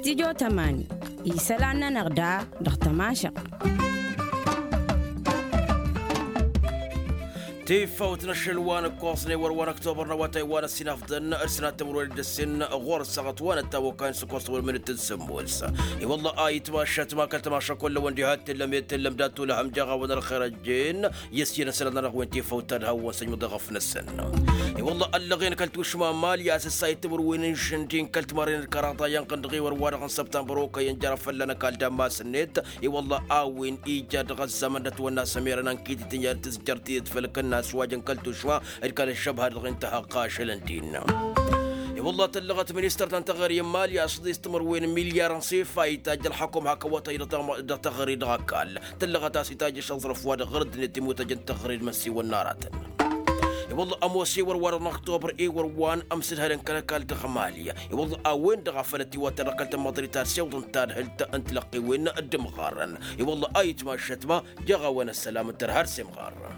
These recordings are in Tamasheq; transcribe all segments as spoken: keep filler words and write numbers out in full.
Tijo tămani isălan-nănăɣ da dăɣ-tămašăɣt. Tifawt n-ašăl wa n-ǝkkoẓnen wăr-wa n-ăktobăr n-awătay wa n-ăssinafḍăn d-sănat timǝrwen d-ǝssin ɣur-săɣăt wa n-ăttamăkkan s-ǝkkoẓ tăwălmǝnǝt d-sǝmmos. I-wălla a itmašat ma kăl-tămaša kull-ăwăn diha t-tǝllăm i-tǝllăm dat-tulăhăm jaɣ-awăn ălxer ăjjeen. I-ăssinăsălăn-anăɣ wen tifawt ta d-hawăn săjmăḍ eɣăf-năsăn. I-wălla ăllăɣen kăl-tušma n-mali a-s ǝssa ittimǝrwen n-išǝndin kăl-timarren d-kăraḍa iyyănɣăn-dăɣ i-wăr-wa-dăɣ n-săbtămbăr okăyăn jer-afălla n-ăkall d-ammas-net. I-wălla a-wen ija dăɣ-ăzzamăn dăt-wănna s-ămerăn ănkitităn i-ad-tǝzjăr tidǝt făll-kănna a-s wa jăn kăl-tušma d-kăl-ăššăbha dăɣ-intăhăqqa ašălăn-din. I-wălla tăllăɣăt ministăr ta n-teɣăre n-mali a-s dd-istǝmărwen n-milyar n-sifa itajj ălxăkum hak ăwătay dăɣ-teɣăre dăɣ-ăkall. Tăllăɣăt a-s itajj ašăẓrăf wa dăɣ-ɣăr ăddinăt imutăjăn teɣăre d-imăssiwăn n-aratăn. I-wălla ămoos i-wăr-wa-dăɣ n-ăktobăr i-wăr-wa n-amsǝdhălăn kăl-ăkall dăɣ-mali. I-wălla a-wen-dăɣ a făl ătiwăttan dăɣ-kăl-tămmaḍrit ad-siwǝḍăn tadhǝlt n-tilăqqiwen d-imɣarrăn. I-wălla a itmašăt ma jeɣ-a-wen ăssălam n-tărha ar s-imɣarrăn.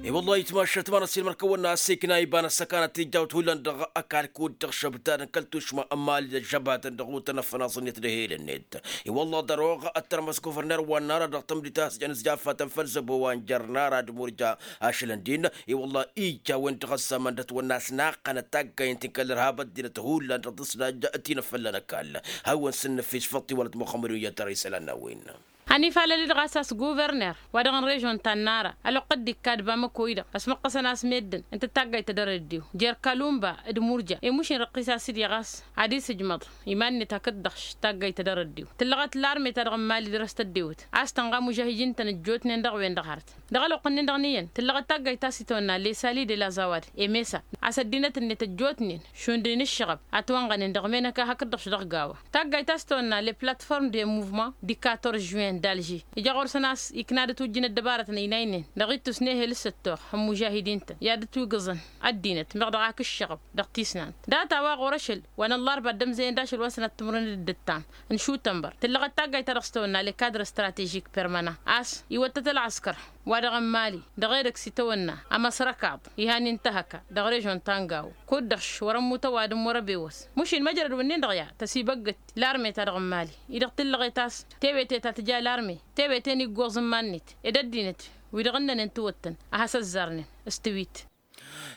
I-wălla a itmašăt ma n-ăssiilmăr-kăwăn-na a-s ikna iba n-ăssăkanăt tijjawt hullan dăɣ-ăkall kud-dăɣ šăbtadăn kăl-tušma n-mali d-ăžžăbatăn dăɣ-utăn ăffănaẓ-net d-ehel-net. I-wălla ḍăroɣ ăttărmăs guvrner wa n-ara dăɣ-tămdit a-s jăn s-jafatăn făll-zăbo wa n-jer-nara d-murja ašălăn-din. I-wălla ija a-wen-dăɣ ăzzamăn dăt-wănna a-s naqqănăt taggayăn ti n-kăl-irhab ăddinăt hullan dăɣ-tǝsnaj ti n-afălla n-ăkall. Hawăn-sǝnnǝfis făṭṭ iwălăt muxămmăd-wen i-ad-tăra isălan n-a-wen. Hăn ifalăl-i-dăɣ a-s a-s guverner wa dăɣ-n režon ta n-nara ăloqqăt d-ikkad bamăkoy-dăɣ ăsmăqqăsăn a-s meddǝn ǝnta d-taggayt ta dăr-ăddiw jer-kalumba d-murja i-mušin răqqis a-s dd-iɣas ad-isǝjmăḍ iman-net hakd-dăɣ taggayt ta dăr-ăddiw. Tǝllăɣăt larme ta dăɣ-n mali dăr-s tăddewăt a-s tănɣa mužahijin-tăn ăjjootnen dăɣ-wen-dăɣ hărăt. Dăɣ-ălwăqq-nin-dăɣ n-iyyăn tǝllăɣăt taggayt ta s-itawănna lesali de la zawad emesa a-s ăddinăt-net ăjjootnen šund n-ǝššăɣăb. Ătwănɣănen dăɣ-menăka hakd-dăɣ-š dăɣ-gawa taggayt ta s-itawănna le platform de muvement du quatorze juin d-alži. Ija ɣur-săn a-s ikna d-ătwǝjjǝn ăddăbarătăn ăynaynen dăɣ-ittus n-ehel s-ăttoɣ hămmujahidin-tăn i-ad-ătwǝgǝẓăn ăddinăt meɣ dăɣ-ak ǝššăɣăb dăɣ-tisnant. Data-wa ɣur-ašăl wa n-ăllarba dd-ămzăyăn d-ašăl wa n-sănat timǝrwen d-ǝddǝttam n-šutănbăr tǝllăɣăt taggayt-ta-dăɣ s-tawănna le cadre stratežik permanent a-s iwăttăt ălɣăskăr wa dăɣ-n mali dăɣ-edăgg s-itawănna ămăsrăkaḍ. Ihan intăhăka dăɣ-režon ta n-gawo kud-dăɣ š-wăr-ămmut ăwadǝm wăr-ăbewăs. Mušin măjrăd wǝnnin-dăɣ ya tăsibăggăt larme-ta-dăɣ n-mali-i-dăɣ tǝllăɣet a-s tewete ta tǝja larme tewete n-iggoẓ n-iman-net ed ăddinăt wi-dăɣ ǝnnănen tiwăttăn a has-ăzzarnen. S-tiwit.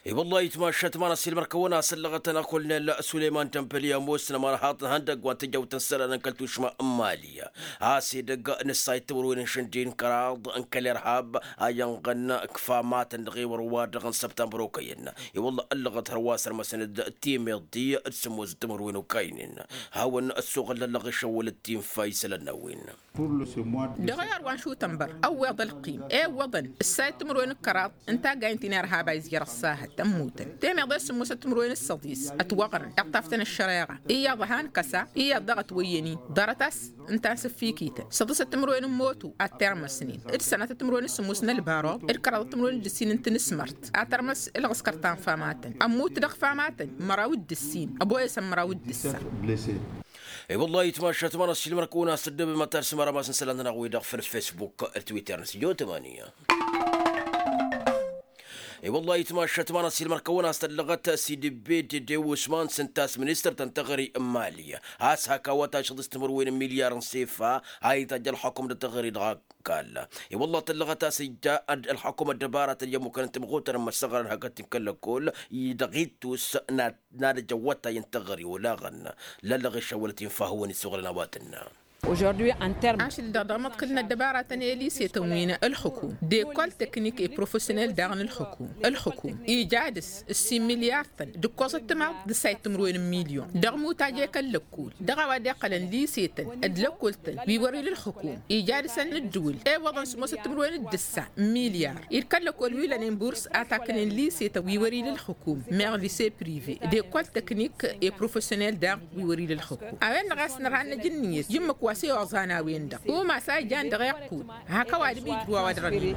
I-wăllah itmašat ma n-ăssiilmăr-kăwăn-asăllăɣăt-anăɣ kolonel suleyman tămpăl i-ămoosnăm ănhaḍ n-ihăndăgg wa n-tijăwt n-isălan n-kăl-tušma n-mali. A-s edăgg n-ǝssayǝt timǝrwen n-išǝndin kăraḍ n-kăl-irhab a ijănɣăn ǝkfa matăn dăɣ-ewăr wa-dăɣ n-săbtămbăr okăyăn. I-wăllah ăllăɣăt hărwa sărmăsăn-dd timeḍt d-sǝmmos d-timǝrwen okaynen. Hawăn-ăssoɣăl lăllăɣ išăwwălăt tinfa isălan n-a-wen. Dăɣ-ewăr wa n-šutănbăr ăwweḍ ălqim ewwăḍăn ǝssayǝt timǝrwen d-kăraḍ n-taggayen ti n-irhab a izjăr ăṣṣahăt ămmutăn temeḍe s-sǝmmosăt timǝrwen d-săḍis ătwăɣrăn iṭṭaftăn ăššăreɣa. Iyyăḍ a han-kăsa iyyăḍ daɣ ătwăyyăn-in ḍarăt a-s ǝnta n-sǝffikităn săḍǝsăt timǝrwen n-moto ad-termăsnen d-sănatăt timǝrwen d-sǝmmos n-ălbaroḍ d-kăraḍăt timǝrwen d-ǝssin n-tinǝsmărt ad-tărmăs ălɣǝskăr ta n-famatăn ămmut dăɣ-famatăn măraw d-ǝssin ăboyăsăn măraw d-ǝssa. I-wăllah itmašat ma n-ăssiilmăr-kăwăn-asăddăbem ad-tarsǝm arămas n-isălan-nănăɣ-wi-dăɣ făll-facebook d-twitter n-s jotamania. I-wăllah itmašat ma n-ăssiilmăr-kăwăn-asăllăɣăt s-idǝbbe d-ede usman s-ǝnta a-s ministăr ta n-teɣăre n-mali a-s hak awătašăḍ s-timǝrwen n-milyar n-sefa a itajj ălxukum d-teɣăre dăɣ-ăkall. I-wăllah tăllăɣăt a-s ija ălxukum ăddăbaratăn i-ămmukăn n-timɣutăn n-imăssăɣrăn hakd-t n-kăl-lăkkol-i dăɣ-ittus n-ad-năj ăwwătay n-teɣăre olaɣăn. Lăllăɣ išăwwălăt infa hawăn-isuɣǝlăn a-wa tǝnna. Ašăl-dăɣ dăɣ-măḍkǝl n-ăddăbaratăn i-lisetăn wi n-ălxukum d-ekol teknik i-profesyonel daɣ n-ălxukum. Ălxukum ija dăɣ-s ǝssin milyar-tăn d-ǝkkoẓăt timaḍt d-ǝssayǝt timǝrwen n-milyon dăɣ-imutaj i-kăl-lăkkol dăɣ-a-wa dd-iqqălăn lisetăn d-lăkkol-tăn wi wăr-ila ălxukum. Ija dăɣ-săn ǝddǝwǝl ewăḍăn sǝmmosăt timǝrwen d-ǝssa n-milyar-i d-kăl-lăkkol wi lănen burs a taknen lisetăn wi wăr-ila ălxukum meɣ lise prive d-ekol teknik i-profesyonel daɣ wi wăr-ila ălxukum. A-wen-dăɣ a-s nărha ad-năj ǝnniyăt i-ǝmmǝk wa s-e-oẓan a-wen-dăɣ umas a ijan dăɣ-iqqud hak ăwadǝm ijrǝw a-wa dăɣ-ănnin.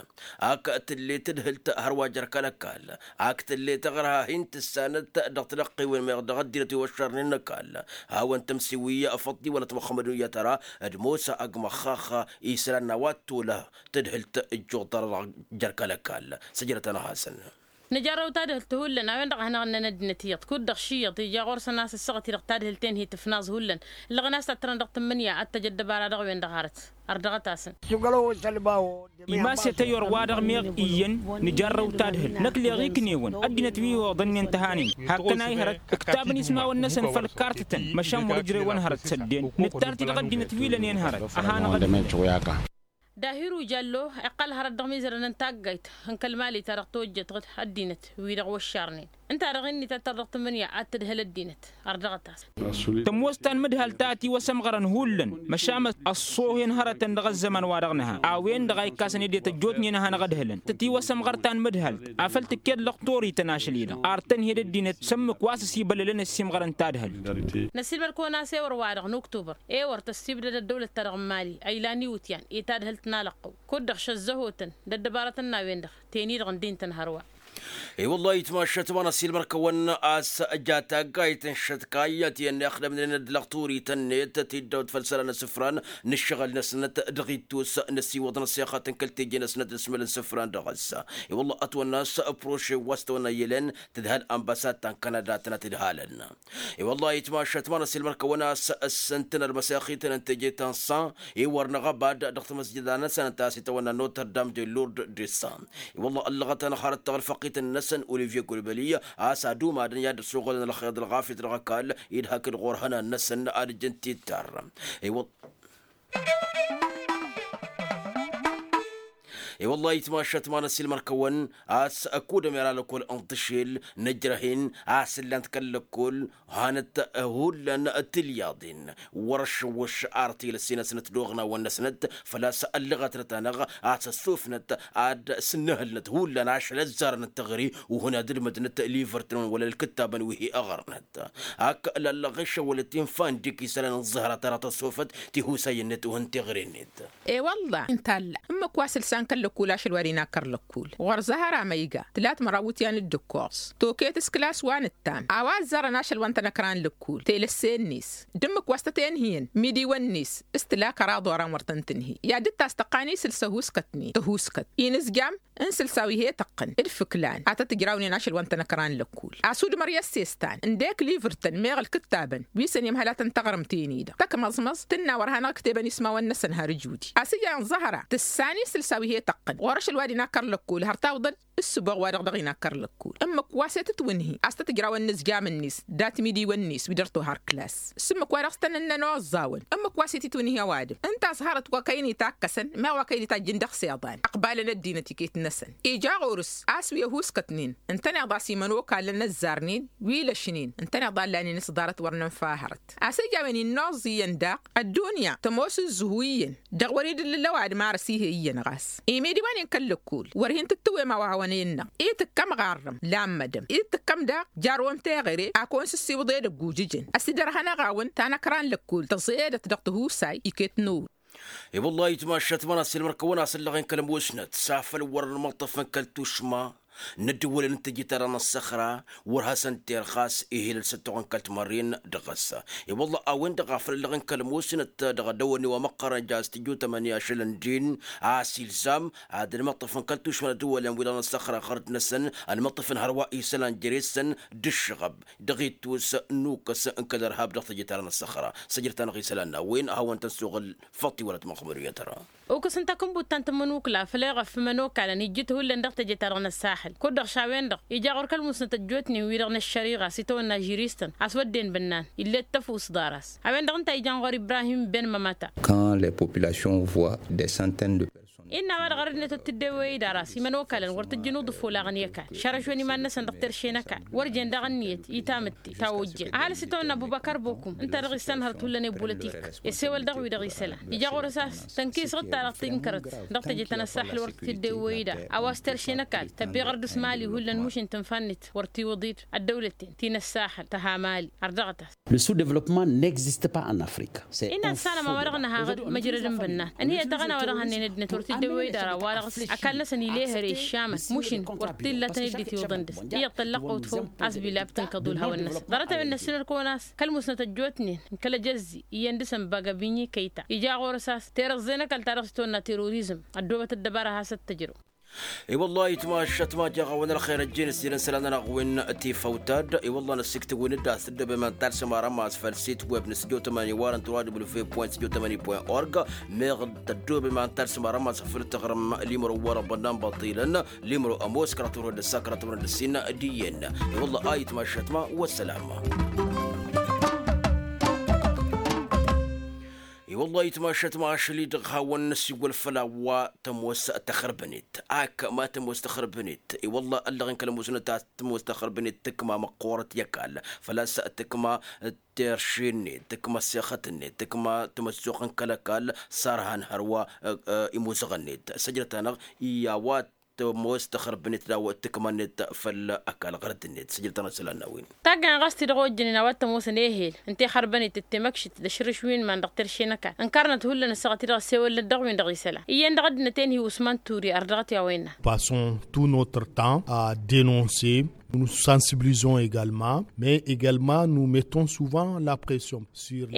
Ak tǝllet tǝdhǝlt hărwa jer-kăl-ăkall. Ak tǝllet ăɣrăha hin-tǝssanăt dăɣ-tilăqqewen meɣ dăɣ-ăddinăt wi wăššărnen n-ăkall. Hawăn-tămsiwi făḍḍi wăla timăxxămădun i-ad-tăra d-mosa ăgg măxxax isălan n-a-wa t-tolăh tǝdhǝlt ǝjjuḍ-tăra dăɣ-jer-kăl-ăkall. Săjdăt-anăɣ-hasăn. Nǝjarrăw tadhǝlt hullan a-wen-dăɣ a hanăɣ-ǝnnăn ăddinăt iyyăḍ kud-dăɣ ši iyyăḍ ija ɣur-săn a-s ǝssăɣăt-i-dăɣ tadhǝlt-en hi-tǝfnaẓ hullan. Ǝllăɣăn a-s tattărăn dăɣ-tǝmmǝnǝya ad-tăj ăddăbara dăɣ-wen-dăɣ hărăt. Ărdăɣăt-asăn. Imas i-tăyyor-wa-dăɣ meɣ iyyăn nǝjarrăw tadhǝlt năkk leɣ iknewăn ăddinăt wi oḍănnen tăhanen. Hakkăn a ihărăt ǝktabăn ismawăn-năsăn făll-kartǝtăn măšan wăr-ǝjrewăn hărăt sădden nǝttar-t-i dăɣ-ăddinăt wi lănen hărăt. A hanăɣ-ăddinăt. Dahiru jallo iqqăl hărăt dăɣ-imizărăn n-taggayt n-kăl-mali ta dăɣ-tojjăt ăddinăt wi-dăɣ wăššarnen. Ǝnta-dăɣ innă tattăr dăɣ-tǝmmǝnǝya ad-tǝdhǝl ăddinăt. Ărdăɣăt-as. Tămoos ta n-imǝdhal ta ătiwăsămɣărăn hullan măšan ăṣṣoohen hărătăn dăɣ-ăzzăman-wa-dăɣ nǝha a-wen-dăɣ a ikkasăn ed i-tăjjootnen a hanăɣ-ǝdhǝlăn tătiwăsămɣăr ta n-imǝdhal. Afăl tǝkked lăqtor-ităn ašăl-i-dăɣ ar tăn-hi-dd ăddinăt s-ǝmmǝk wa s-ăsibăllălăn ăssiimɣărăn tadhǝlt. Năssiilmăd-kăwăn a-s ewăr-wa-dăɣ n-uktubăr ewăr tăssibdăd ăddăwlăt-ta-dăɣ n-imali a ilan iwǝtyan i-tadhǝlt n-alăqqăw kud-dăɣ šăzzăhotăn d-ăddăbarătăn n-a-wen-dăɣ. Ten-i-dăɣ ǝndin-tăn hărwa. I-wăllah itmašat ma n-ăssiilmăr-kăwăn a-s ăja taggayt n-šătkayăt i-ănnixdămnen d-lăqturităn-net tiddăwt făll-isălan n-asǝfran n-ǝššăɣǝl-năsnăt. Dăɣ-ittus năsiwăḍ n-ăssexăt n-kăl-teje-năsnăt d-asmăl n-isǝfran dăɣ-s. I-wăllah ătwănna a-s proše wa s-tăwănna iyyălăn tǝdhal ănbăsat ta n-kanada tănăt-ǝdhalăn. I-wăllah itmašat ma n-ăssiilmăr-kăwăn a-s ǝssǝntăn ălmăsexităn n-teje ta n-san i-wăr năɣăbad dăɣ-tamăsjăda-năsăn ta s-itawănna notre dame de lourdes de san. I-wăllah ăllăɣăt-anăɣ hărăt taɣălfăqit-năsăn olivier gulbăli a-s ad-umadăn i-ad-ăssoɣălăn ălxeḍ ălɣafyăt dăɣ-ăkall idhak-dd ɣur-ihănan-năsăn ad-ǝjjǝn tittar. I-wăllah i-wăllah itmašat ma n-ăssiilmăr-kăwăn a-s ăkudăm i-ra lăkkol n-tǝšel nǝjrăh-in a-s ǝllan-t kăl-lăkkol. Hanăt hullan tilyaḍin wăr-ăššăwwăš ar tilăssinăsnăt d-oɣnawăn-năsnăt. Făl-a-s ăllăɣătnăt-anăɣ a-s ăssufnăt ad-sǝnnǝhǝlnăt hullan ašăl ăzzarăn n-teɣăre. Uhǝn ad-ǝlmǝdnăt livărtăn wăla ǝlkǝttabăn wi hi-ăɣrănăt. Ak lallăɣ išăwălăt infandik isălan n-ăẓẓăhra ta dăɣ-tăssofăt tihusay-net uhǝn teɣăre-net. E-wălla ǝnta a ǝlla ǝmmǝk wa s-ǝlsan kăl-lăkkul ašăl wa d-inakkăr lăkkul ɣur-zăhăra ma iga tǝlat măraw iwǝtyan d-ǝkkoẓ. Toket s-kǝlas wa nǝttam a-wa ăzzarăn ašăl wa n-tanăkra n-lăkkul telăsse-net d-ǝmmǝk wa s-tăt-enhǝyăn imidiwăn-net s-tǝla kăraḍ oran wăr tăn-tǝnhǝy i-ad-dd-tas tăqqan isǝlsa huskătnen tăhuskăt inǝzjam n-sǝlsa wi he-tăqqǝn d-fǝklan ad-tăt-ǝjrawnen ašăl wa n-tanăkra n-lăkkul. Asudmăr i-ăssestan ǝndek livǝrtăn meɣ ǝlkǝttabăn wi s-ănimhălatăn taɣrǝmt-en-i-dăɣ tăkmăẓmăẓ tǝnna wăr hanăɣ-ǝktebăn ismawăn-năsăn har ǝjudi a-s ǝjan ẓăhra tǝssan isǝlsa wi he-tăqqǝn ɣur-ašăl wa d-inakkăr lăkkul har tawǝḍăd. S-ǝboɣ-wa-dăɣ dăɣ-inakkăr lăkkul ǝmmǝk wa s-e-tătwǝnhǝy a-s tăt-ǝjrawăn inǝzjam-net dat-imidiwăn-net wi dăr-tohar klas s-ǝmmǝk wa dăɣ-s tăn-ǝnnăn oẓẓawăn ǝmmǝk wa s-e-tǝtwǝnhǝy ăwadǝm. Ǝnta a-s hărăt wa kăyăn itakk-asăn meɣ wa kăyăn itajjǝn dăɣ-s iḍan ăqbalăn ăddinăt iket-năsăn ija ɣur-s a-s wi ăhuskătnen ǝntăneḍ a-s imănokalăn ăzzarnen wi lăšnen ǝntăneḍ a ǝllanen s-ḍarăt wăr nǝnfa hărăt. A-s ija a-wen innoẓẓ iyyăn daɣ ăddunya tămoos ǝzzǝhu iyyăn dăɣ-wăr-dd ǝllǝl ăwadǝm ar ăsihey iyyăn ɣas imidiwăn-in kăl-lăkkul wăr hin-tǝttǝwem a-wa hawăn-innăɣ itǝkkăm ɣarrăm lammădăm itǝkkăm daɣ jarwăm teɣăre a kăwăn-sǝssiwǝḍ edăgg ujǝjăn ăsidărhănăɣ-awăn tanăkra n-lăkkul tăẓedăt dăɣ-tihusay iket n-ewǝr. I-wăllah itmašat ma n-asǝlmăr-kăwăn-asǝllăɣen kăl-ămoosnăt s-afăl wăr-nǝmăṭṭăf n-kăl-tušma n-ăddǝwălăn n-teje-ta-dăɣ n-ăssăxra wăr hasăn-t-irɣas ihilăl s-ăttoɣăn kăl-timărren. Dăɣ-s i-wălla a-wen-dăɣ a făl ăllăɣen kăl-ămoosnăt dăɣ-dăwănni wa măqqărăn ja s-tijutămăn i-ašăl n-din a-s ilzam ad-nǝmăṭṭăf n-kăl-tušma n-ăddǝwălăn wi-dăɣ n-ăssăxra ɣărăt-năsăn ănmăṭṭăf n-hărwa isălan jere-săn d-ǝššăɣăb dăɣ-ittus n-ukăs n-kăl-ărhab dăɣ-teje-ta-dăɣ n-ăssăxra. Săjdăt-anăɣ isălan-năwăn a hawăn-tăn-suɣǝl făṭṭi wăla tmăxmăduyăt-ra. Ukǝs n-takǝnbut ta n-tǝmmǝnukla făll-eɣăf imănokalăn ijjǝt hullan dăɣ-teje-ta-dăɣ n-ăssaxǝl kud-dăɣ šawen-dăɣ ija ɣur-kăl-musnăt ăjjootnen wi-dăɣ n-ăššăriɣa s-itawănna žiristăn a-s wădden bǝnnan ill'-e d-tăfuss ḍar-as. A-wen-dăɣ ǝnta a ijan ɣur-ibrahim ben mămăta. Quand les populations voient des centaines de personnes. Innă a-wa-dăɣ ărăd-net wăr t-dd-ewwey idar a-s imănokalăn wăr t-ǝjjǝn uḍǝfol aɣăn i-ăkall šărăšwen iman-năsăn dăɣ-terše n-ăkall wăr jen daɣ ǝnniyăt i-tamǝtte ta ojjăn ăhalǝs itawănna ăbubăkăr bokum ǝnta dăɣ-issanhărăt hullan i-bulătik i-ăssewăl dăɣ-wi-dăɣ isălan ija ɣur-s a-s tănkisăɣ-dd ta-dăɣ tǝnkărăt dăɣ-teje ta n-ăssaxǝl wăr t-dd-ewwey idar a-wa s-terše n-ăkall tăbbeɣăr dăɣ-s mali hullan mušin tǝnfannit wăr t-iwǝḍ-dd ăddăwlăten ti n-ăssaxǝl tăha mali ărdăɣăt-as. Le sous-développement n'existe pas en Afrique. Innă tǝssanăm a-wa-dăɣ nǝhaɣ-dd măjrăd n-bănnan ǝnhǝyăt dăɣ-năwădăɣ hannăyăn-ăddinăt wăr t-dd-ewwey idar a-wa-dăɣ s-ăkall-năsăn ilehăre ǝššamăn mušin wăr t-illa a tăn-dd-itiwǝḍăn dăɣ-s iyyăḍ tăllăqqăwt făw a-s bilab tǝnkăḍ ulhawăn-năsăn ḍarăt-a-wen năssinăr kăwăn-as kăl-musnăt ăjjootnen n-kăl-ajăzzi iyyăn dăɣ-săn bagăbinyi kăyta ija ɣur-s a-s terăẓẓe n-ăkall ta dăɣ-s tăwănna terorizm ăddoobăt ăddăbara a has-ăttăjrăw. I-wăllah itmašat ma jaɣ-awăn ălxer ăjjeen ǝssinăn isălan-nănăɣ wi n-tifăwt-dd i-wăllah năssiktǝwǝn-dd a-s tăddoobem ad-talsăm arămas făll-sit web n-studio tămani warăn tăwad wlf point studio tămani point org meɣ tăddoobem ad-talsăm arămas făll-tăɣrǝm limro wăr-ăḍănnan băṭilăn limro ămoos kăraḍ timǝrwen d-ăssa kăraḍ timǝrwen d-ǝssin d-iyyăn. I-wăllah a itmašat ma wăssălam. I-wăllah itmašat ma ašăl-i-dăɣ hawăn-năsiwăl făll-a-wa tămoos tăxărbănet ak ma tămoos tăxărbănet i-wăllah ăllăɣen kăl-ămoosnăt a-s tămoos tăxărbănet tǝkma măqqoorăt i-ăkall făl-a-s tǝkma terše-net tǝkma ăssexăt-net tǝkma tămăssoɣt n-kăl-ăkall s-arhan hărwa imuzăɣăn-net săjdăt-anăɣ i-a-wa tămoos tăxărbănet d-a-wa tǝkma-net făll-ăkall ɣărăt-net săjdăt-anăɣ isălan n-a-wen. Taggayen ɣas ti-dăɣ ojjănen a-wa t-ămoosăn ehel n-tixărbănet d-temăkšit d-ašrǝš wi n-iman dăɣ-terše n-ăkall ǝnkarnăt hullan ǝssaɣăt-i-dăɣ ăssewălnăt dăɣ-win-dăɣ isălan iyyăn dăɣ-ăddinăt enhi usman turi ărdăɣăt i-a-wa innă. Passons tout notre temps à dénoncer. Nous sensibilisons également mais également nous mettons souvent la pression.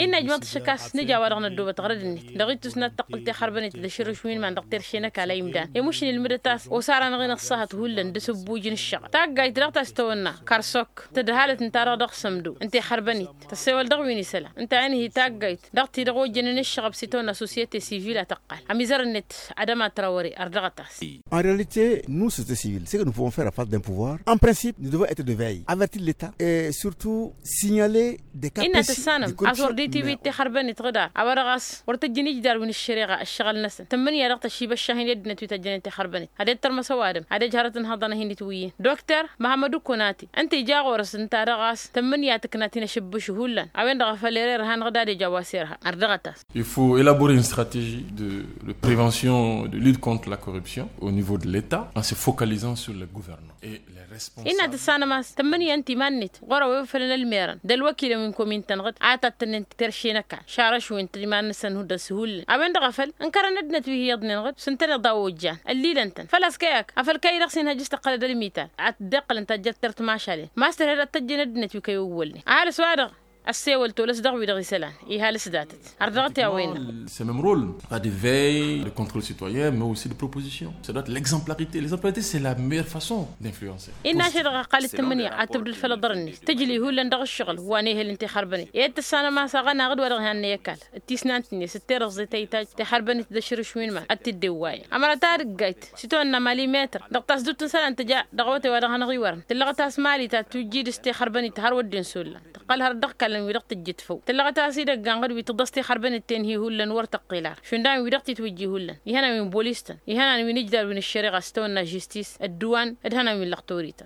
Innă ǝjmăḍ šăk a-s nǝja a-wa-dăɣ năddoobăt ɣărăd-net dăɣ-ittus n-ad-tăqqǝl tixărbănet d-ašrǝš wi n-iman dăɣ-terše n-ăkall a imdan i-mušǝn ilmǝdăt a-s osaranăɣ-in ăṣṣahăt hullan d-asǝbbuj n-ǝššăɣǝl taggayt daɣ ta s-tăwănna karsok tădhalăt ǝnta-dăɣ dăɣ-sămdo n-tixărbănet tăssewăl dăɣ-win isălan ǝnta a inhi taggayt dăɣ-ti-dăɣ ojjănen ǝššăɣăb s-itawănna societe sivil a tăqqal ămizăr-net adăma trawăre ărdăɣăt-as. En réalité nous société civile ce que nous pouvons faire à face d'un pouvoir en principe nous devons être de veille avertir l'état et surtout signaler des cas précis de corruption. Innă tǝssanăm a-s wăr dd-itiwǝy d-tixărbănet ɣǝdar a-wa-dăɣ a-s wăr tǝjjǝn ijdar wi n-ăššăreɣa ăššăɣǝl-năsăn tǝmmǝnǝya dăɣ-tăšib ăššahin i-ăddinăt wi tăjjănen tixărbănet ad-dd-tărmăs ăwadǝm ad-ăj hărăt n-hăḍăn a hin-itwǝyyǝn dokter măhămmăd ukunati ǝnta ija ɣur-s ǝnta-dăɣ a-s tǝmmǝnǝya tǝkna ti n-ašǝbbǝš hullan a-wen-dăɣ a făl erer hanăɣ-dd ad-ej a-wa s-irha ărdăɣăt-as. Il faut élaborer une stratégie de prévention de lutte contre la corruption au niveau de l'état en se focalisant sur les gouvernants et les responsables. Innă tǝssanăm a-s tǝmmǝnǝya ǝnta iman-net ɣur-a-wa ifălăn ălmerăn d-ălwăkilăn wi n-komin-tăn ɣǝd a tattănnen terše n-ăkall šarăšwen tăj iman-năsăn hundăɣ s-hullan a-wen-dăɣ a făl ǝnkărăn ăddinăt wi hi-iyyăḍnen ɣǝd s-ǝntăneḍ a ojjan ăllilăn-tăn făl-a-s kăy-ak afăl kăy-dăɣ s-inhăjj s-tăqqălăd ălmital ad-dd-iqqǝlăn tajjăt tert mašalen ma s-tărhed ad-tăjjăn ăddinăt wi kăy-owwălnen ăhalǝs-wa-dăɣ ăssewăl tolăs dăɣ-wi-dăɣ isălan ihalǝs datăt ărdăɣăt i-a-wa innă. C'est même rôle pas de veille de contrôle citoyen mais aussi de proposition ça doit être l'exemplarité l'exemplarité c'est la meilleure façon d'influencer. Innă ašăl-dăɣ ăqqal d-tǝmmǝnǝya ad-tǝbdǝd făll-aḍăr-net tǝjli hullan dăɣ-ǝššăɣǝl wa n-ehel n-tixărbănet i-ad-tǝssanăm a-s aɣănaɣ-dd wa dăɣ-ihannăy ăkall d-tisnant-net d-terăẓẓe ta itajj tixărbănet d-ašrǝš wi n-iman ad-t-dd-ewwayăn ămăra ta dăggayt s-itwănna mali metăr dăɣ-tasdut n-isălan tǝja dăɣ-awătay wa dăɣ-hanăɣ-iwărăn tǝllăɣăt a-s mali ta tujjid s-tixărbănet har wădden s-ollan tăqqăl har dd-ăɣkallăn wi-dăɣ tǝjjǝt făw tǝllăɣăt a-s idăgg-anăɣ-dd wi tǝḍăs tixărbănet tenhi hullan wăr tăqqel ar šund a-wen wi dăɣ-titwǝjji hullan ihănan wi n-bolis-tăn ihănan wi n-ijdar wi n-ăššăreɣa s-tawănna žistis ădduwan d-ihănan wi n-lăxtorit.